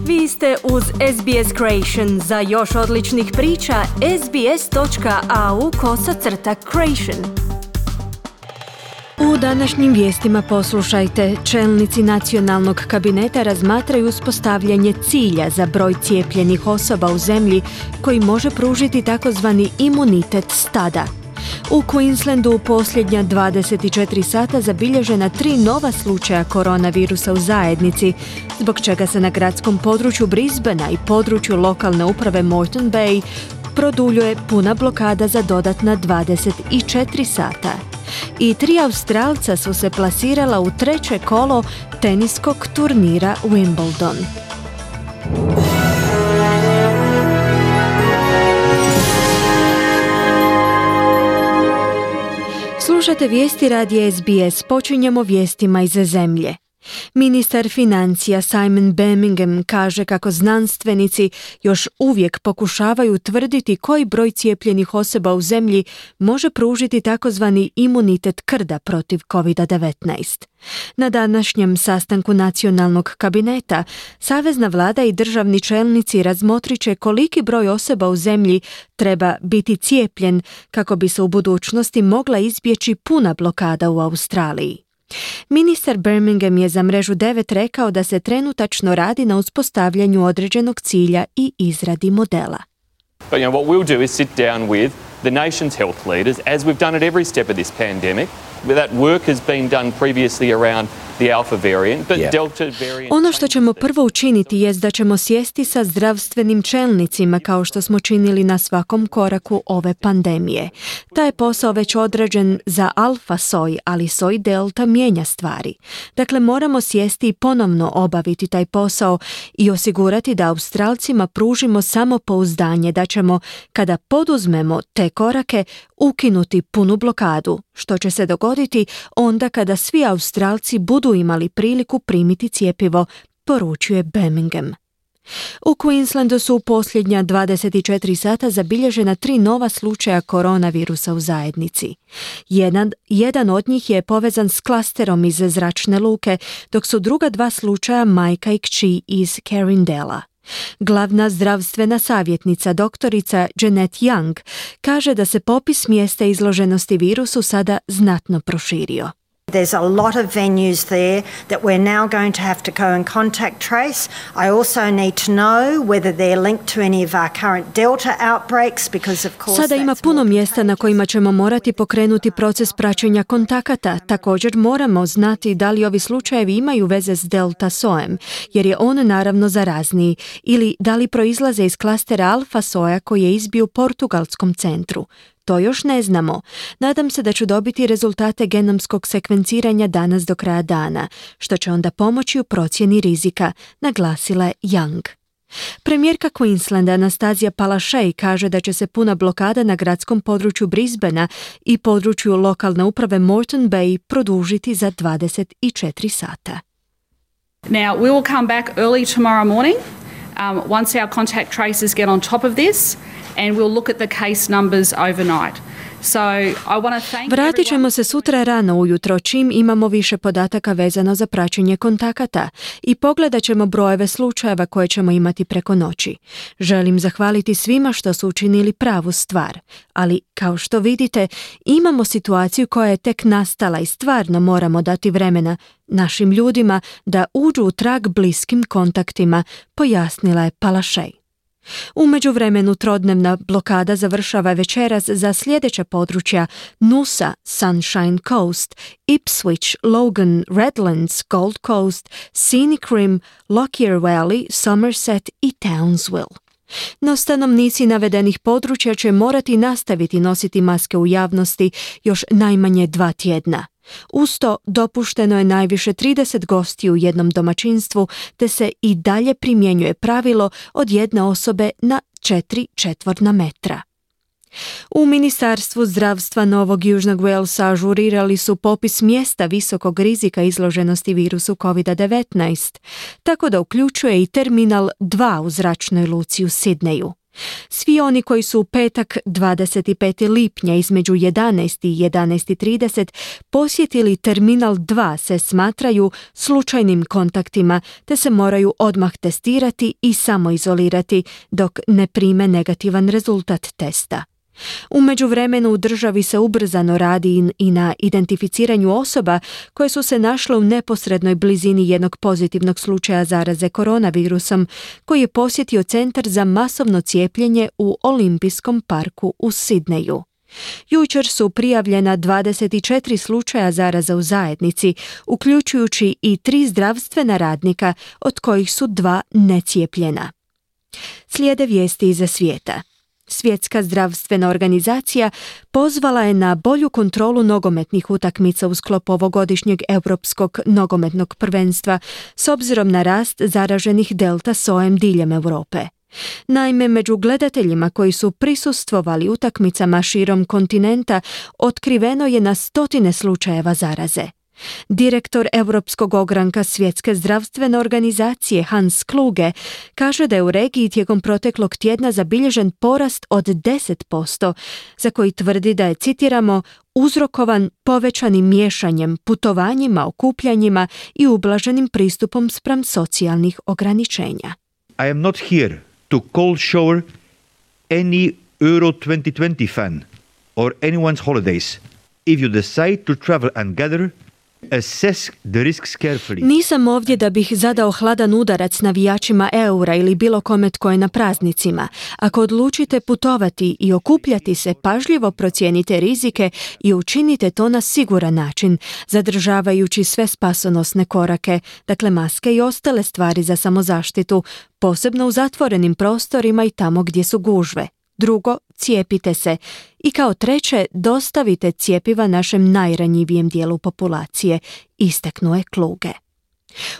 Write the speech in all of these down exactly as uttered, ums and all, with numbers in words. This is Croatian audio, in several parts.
Vi ste uz S B S Creation. Za još odličnih priča, sbs.au kosacrta creation. U današnjim vijestima poslušajte. Čelnici nacionalnog kabineta razmatraju uspostavljanje cilja za broj cijepljenih osoba u zemlji koji može pružiti takozvani imunitet stada. U Queenslandu u posljednja dvadeset četiri sata zabilježena tri nova slučaja koronavirusa u zajednici, zbog čega se na gradskom području Brisbanea i području lokalne uprave Moreton Bay produljuje puna blokada za dodatna dvadeset četiri sata. I tri Australca su se plasirala u treće kolo teniskog turnira Wimbledon. Slušate vijesti radija S B S. Počinjemo vijestima iz zemlje. Ministar financija Simon Birmingham kaže kako znanstvenici još uvijek pokušavaju utvrditi koji broj cijepljenih osoba u zemlji može pružiti takozvani imunitet krda protiv covid devetnaest. Na današnjem sastanku nacionalnog kabineta, savezna vlada i državni čelnici razmotrit će koliki broj osoba u zemlji treba biti cijepljen kako bi se u budućnosti mogla izbjeći puna blokada u Australiji. Ministar Birmingham je za mrežu devet rekao da se trenutačno radi na uspostavljanju određenog cilja i izradi modela. But you know what we'll do is sit down with the nation's health leaders, as we've done at every step of this pandemic. That work has been done previously around the alpha variant, but yeah. Delta variant. Ono što ćemo prvo učiniti jest da ćemo sjesti sa zdravstvenim čelnicima kao što smo činili na svakom koraku ove pandemije. Taj je posao već odrađen za alfa soj, ali soj delta mijenja stvari. Dakle, moramo sjesti i ponovno obaviti taj posao i osigurati da Australcima pružimo samopouzdanje da ćemo, kada poduzmemo te korake, ukinuti punu blokadu, što će se dogoditi onda kada svi Australci budu imali priliku primiti cjepivo, poručuje Birmingham. U Queenslandu su u posljednja dvadeset četiri sata zabilježena tri nova slučaja koronavirusa u zajednici. Jedan, jedan od njih je povezan s klasterom iz zračne luke, dok su druga dva slučaja majka i kći iz Carindela. Glavna zdravstvena savjetnica doktorica Jeanette Young kaže da se popis mjesta izloženosti virusu sada znatno proširio. There's a lot of venues there that we're now going to have to go and contact trace. I also need to know whether they're linked to any of our current Delta outbreaks because of course Sada ima puno mjesta na kojima ćemo morati pokrenuti proces praćenja kontakata. Također moramo znati da li ovi slučajevi imaju veze s Delta sojem, jer je on naravno zarazniji, ili da li proizlaze iz klastera alfa soja koji je izbio u portugalskom centru. To još ne znamo. Nadam se da ću dobiti rezultate genomskog sekvenciranja danas do kraja dana, što će onda pomoći u procjeni rizika, naglasila je Young. Premijerka Queenslanda Anastazija Palaszczuk kaže da će se puna blokada na gradskom području Brisbanea i području lokalne uprave Moreton Bay produžiti za dvadeset četiri sata. Now, we will come back early tomorrow morning um, once our contact tracers get on top of this. And we'll look at the case numbers overnight. So I want to thank Vratit ćemo se sutra rano ujutro čim imamo više podataka vezano za praćenje kontakata i pogledat ćemo brojeve slučajeva koje ćemo imati preko noći. Želim zahvaliti svima što su učinili pravu stvar, ali kao što vidite imamo situaciju koja je tek nastala i stvarno moramo dati vremena našim ljudima da uđu u trag bliskim kontaktima, pojasnila je Palaszczuk. U međuvremenu trodnevna blokada završava večeras za sljedeća područja Noosa, Sunshine Coast, Ipswich, Logan, Redlands, Gold Coast, Scenic Rim, Lockyer Valley, Somerset i Townsville. No stanovnici navedenih područja će morati nastaviti nositi maske u javnosti još najmanje dva tjedna. Uz to dopušteno je najviše trideset gostiju u jednom domaćinstvu, te se i dalje primjenjuje pravilo od jedne osobe na četiri četvorna metra. U Ministarstvu zdravstva Novog Južnog Walesa ažurirali su popis mjesta visokog rizika izloženosti virusu covid devetnaest, tako da uključuje i terminal dva u zračnoj luci u Sidneju. Svi oni koji su u petak dvadeset petog lipnja između jedanaest i jedanaest trideset posjetili terminal dva se smatraju slučajnim kontaktima te se moraju odmah testirati i samoizolirati dok ne prime negativan rezultat testa. U međuvremenu u državi se ubrzano radi i na identificiranju osoba koje su se našle u neposrednoj blizini jednog pozitivnog slučaja zaraze koronavirusom koji je posjetio centar za masovno cijepljenje u Olimpijskom parku u Sidneju. Jučer su prijavljena dvadeset četiri slučaja zaraza u zajednici, uključujući i tri zdravstvena radnika, od kojih su dva necijepljena. Slijede vijesti iza svijeta. Svjetska zdravstvena organizacija pozvala je na bolju kontrolu nogometnih utakmica u sklopu ovogodišnjeg europskog nogometnog prvenstva s obzirom na rast zaraženih delta sojem diljem Europe. Naime, među gledateljima koji su prisustvovali utakmicama širom kontinenta otkriveno je na stotine slučajeva zaraze. Direktor Europskog ogranka Svjetske zdravstvene organizacije Hans Kluge kaže da je u regiji tijekom proteklog tjedna zabilježen porast od deset posto, za koji tvrdi da je, citiramo, uzrokovan povećanim miješanjem, putovanjima, okupljanjima i ublaženim pristupom spram socijalnih ograničenja. I am not here to cold shower any Euro twenty twenty fan or anyone's holidays. If you decide to travel and gather, assess the risks carefully. Nisam ovdje da bih zadao hladan udarac navijačima eura ili bilo kome tko je na praznicima. Ako odlučite putovati i okupljati se, pažljivo procijenite rizike i učinite to na siguran način, zadržavajući sve spasonosne korake, dakle maske i ostale stvari za samozaštitu, posebno u zatvorenim prostorima i tamo gdje su gužve. Drugo, cijepite se. I kao treće, dostavite cjepiva našem najranjivijem dijelu populacije, istaknuo je Kluge.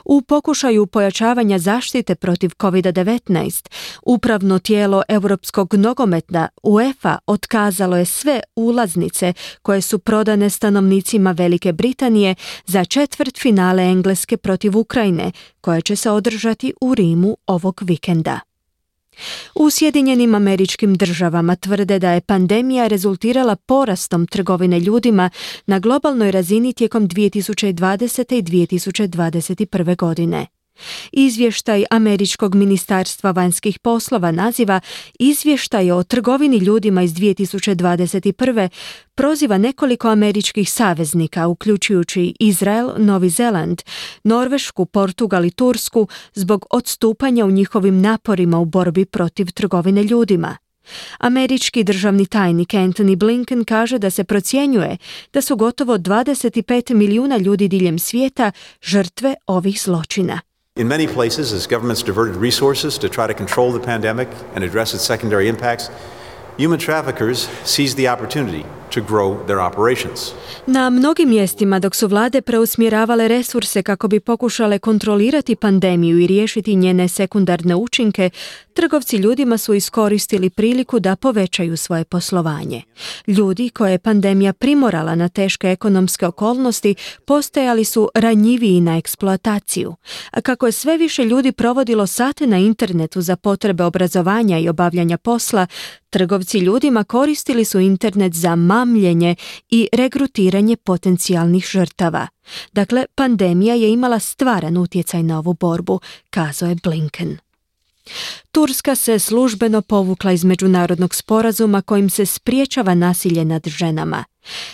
U pokušaju pojačavanja zaštite protiv kovid devetnaest, upravno tijelo Europskog nogometa UEFA otkazalo je sve ulaznice koje su prodane stanovnicima Velike Britanije za četvrtfinale Engleske protiv Ukrajine, koje će se održati u Rimu ovog vikenda. U Sjedinjenim Američkim Državama tvrde da je pandemija rezultirala porastom trgovine ljudima na globalnoj razini tijekom dvije tisuće dvadesete i dvije tisuće dvadeset prve godine. Izvještaj Američkog ministarstva vanjskih poslova naziva Izvještaj o trgovini ljudima iz dvije tisuće dvadeset prve proziva nekoliko američkih saveznika, uključujući Izrael, Novi Zeland, Norvešku, Portugal i Tursku, zbog odstupanja u njihovim naporima u borbi protiv trgovine ljudima. Američki državni tajnik Antony Blinken kaže da se procjenjuje da su gotovo dvadeset pet milijuna ljudi diljem svijeta žrtve ovih zločina. In many places, as governments diverted resources to try to control the pandemic and address its secondary impacts, human traffickers seized the opportunity to grow their operations. Na mnogim mjestima, dok su vlade preusmjeravale resurse kako bi pokušale kontrolirati pandemiju i riješiti njene sekundarne učinke, trgovci ljudima su iskoristili priliku da povećaju svoje poslovanje. Ljudi koje je pandemija primorala na teške ekonomske okolnosti postajali su ranjiviji na eksploataciju. A kako je sve više ljudi provodilo sate na internetu za potrebe obrazovanja i obavljanja posla, trgovci ljudima koristili su internet za mamljenje i regrutiranje potencijalnih žrtava. Dakle, pandemija je imala stvaran utjecaj na ovu borbu, kazao je Blinken. Turska se službeno povukla iz međunarodnog sporazuma kojim se spriječava nasilje nad ženama.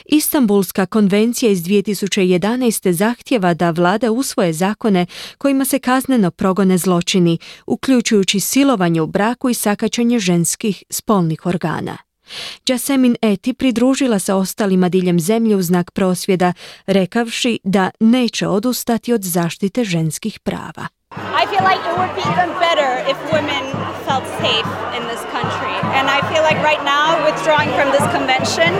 Istanbulska konvencija iz dvije tisuće jedanaeste zahtjeva da vlade usvoje zakone kojima se kazneno progone zločini, uključujući silovanje u braku i sakaćenje ženskih spolnih organa. Yasemin Eti pridružila se ostalima diljem zemlje u znak prosvjeda, rekavši da neće odustati od zaštite ženskih prava. I feel like it would be even better if women felt safe in this country. And I feel like right now withdrawing from this convention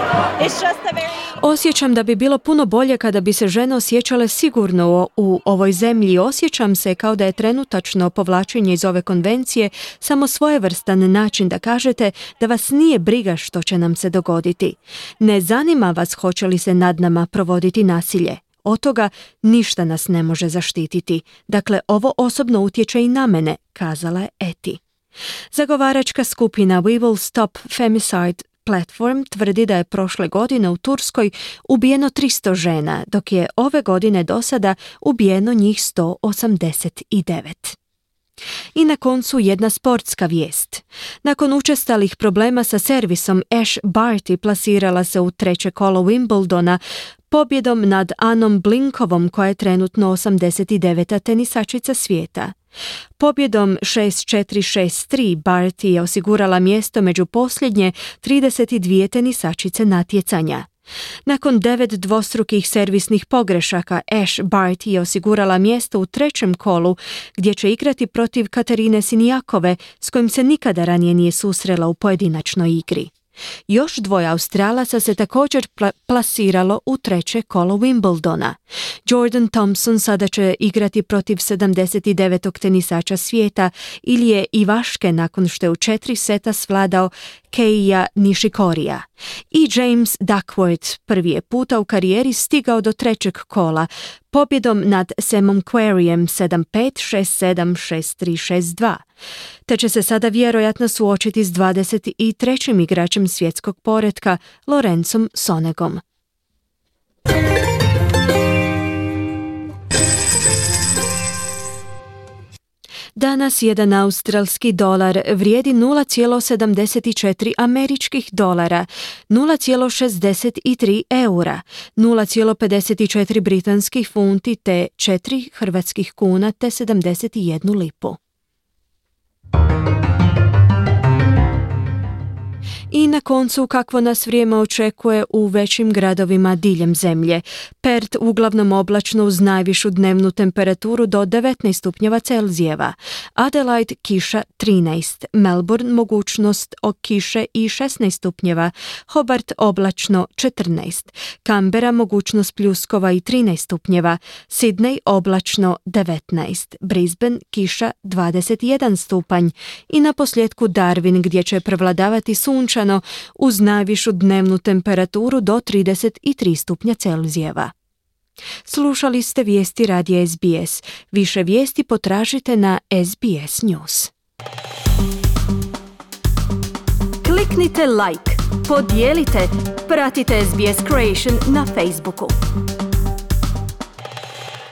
is just a very... Osjećam da bi bilo puno bolje kada bi se žene osjećale sigurno u ovoj zemlji. Osjećam se kao da je trenutačno povlačenje iz ove konvencije samo svojevrstan način da kažete da vas nije briga što će nam se dogoditi. Ne zanima vas hoće li se nad nama provoditi nasilje. Od toga ništa nas ne može zaštititi. Dakle, ovo osobno utječe i na mene, kazala je Eti. Zagovaračka skupina We Will Stop Femicide Platform tvrdi da je prošle godine u Turskoj ubijeno tristo žena, dok je ove godine do sada ubijeno njih sto osamdeset devet. I na koncu jedna sportska vijest. Nakon učestalih problema sa servisom, Ash Barty plasirala se u treće kolo Wimbledona pobjedom nad Anom Blinkovom, koja je trenutno osamdeset deveta tenisačica svijeta. Pobjedom šest četiri šest tri Barty je osigurala mjesto među posljednje trideset dvije tenisačice natjecanja. Nakon devet dvostrukih servisnih pogrešaka, Ash Barty je osigurala mjesto u trećem kolu, gdje će igrati protiv Katarine Sinijakove, s kojim se nikada ranije nije susrela u pojedinačnoj igri. Još dvoje Australaca se također pla- plasiralo u treće kolo Wimbledona. Jordan Thompson sada će igrati protiv sedamdeset devetog tenisača svijeta Ilije Ivaške nakon što je u četiri seta svladao Keija Nishikorija. I James Duckworth prvi je puta u karijeri stigao do trećeg kola pobjedom nad Samom Querreyem sedam pet, šest sedam, šest tri, šest dva. Te će se sada vjerojatno suočiti s dvadeset trećim igračem svjetskog poretka Lorenzom Sonegom. Danas jedan australski dolar vrijedi nula zarez sedamdeset četiri američkih dolara, nula zarez šezdeset tri eura, nula zarez pedeset četiri britanskih funti te četiri hrvatskih kuna te sedamdeset jednu lipu. I na koncu kakvo nas vrijeme očekuje u većim gradovima diljem zemlje. Perth uglavnom oblačno uz najvišu dnevnu temperaturu do devetnaest stupnjeva Celzijeva. Adelaide kiša trinaest, Melbourne mogućnost o kiše i šesnaest stupnjeva, Hobart oblačno četrnaest, Canberra mogućnost pljuskova i trinaest stupnjeva, Sydney oblačno devetnaest, Brisbane kiša dvadeset jedan stupanj i na posljedku Darwin gdje će prevladavati sunčano uz najvišu dnevnu temperaturu do trideset tri stupnja Celzijeva. Slušali ste vijesti radija S B S. Više vijesti potražite na S B S News. Kliknite like, podijelite, pratite S B S Creation na Facebooku.